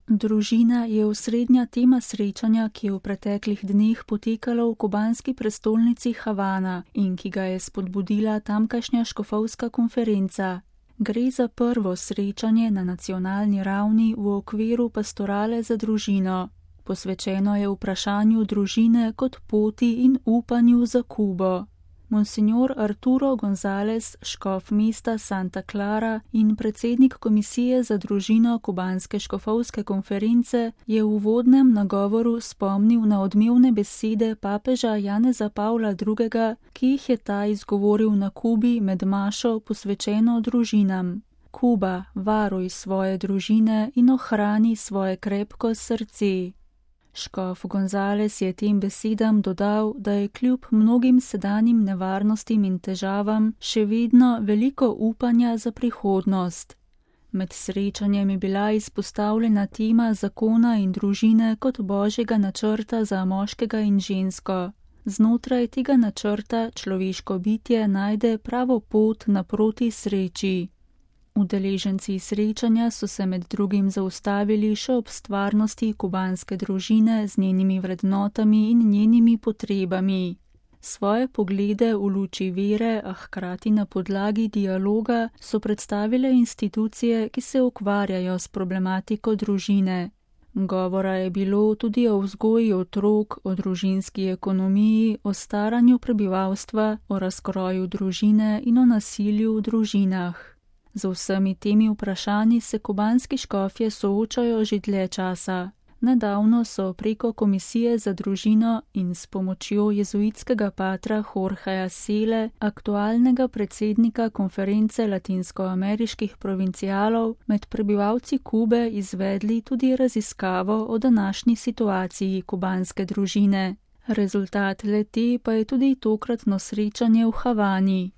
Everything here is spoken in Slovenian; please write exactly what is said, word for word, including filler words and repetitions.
Družina je osrednja tema srečanja, ki je v preteklih dneh potekalo v kubanski prestolnici Havana in ki ga je spodbudila tamkajšnja škofovska konferenca. Gre za prvo srečanje na nacionalni ravni v okviru pastorale za družino. Posvečeno je vprašanju družine kot poti in upanju za Kubo. Monsignor Arturo González, škof mesta Santa Clara in predsednik Komisije za družino kubanske škofovske konference, je v uvodnem nagovoru spomnil na odmevne besede papeža Janeza Pavla drugega., ki jih je ta izgovoril na Kubi med mašo posvečeno družinam. Kuba, varuj svoje družine in ohrani svoje krepko srce. Škof González je tem besedam dodal, da je kljub mnogim sedanjim nevarnostim in težavam še vedno veliko upanja za prihodnost. Med srečanjem je bila izpostavljena tema zakona in družine kot božjega načrta za moškega in žensko. Znotraj tega načrta človeško bitje najde pravo pot naproti sreči. Udeleženci srečanja so se med drugim zaustavili še ob stvarnosti kubanske družine z njenimi vrednotami in njenimi potrebami. Svoje poglede v luči vere, a hkrati na podlagi dialoga, so predstavile institucije, ki se ukvarjajo s problematiko družine. Govora je bilo tudi o vzgoji otrok, o družinski ekonomiji, o staranju prebivalstva, o razkroju družine in o nasilju v družinah. Z vsemi temi vprašanji se kubanski škofje soočajo že dlje časa. Nedavno so preko Komisije za družino in s pomočjo jezuitskega patra Jorgeja Sele, aktualnega predsednika konference latinskoameriških provincialov, med prebivalci Kube izvedli tudi raziskavo o današnji situaciji kubanske družine. Rezultat le-te pa je tudi tokratno srečanje v Havani.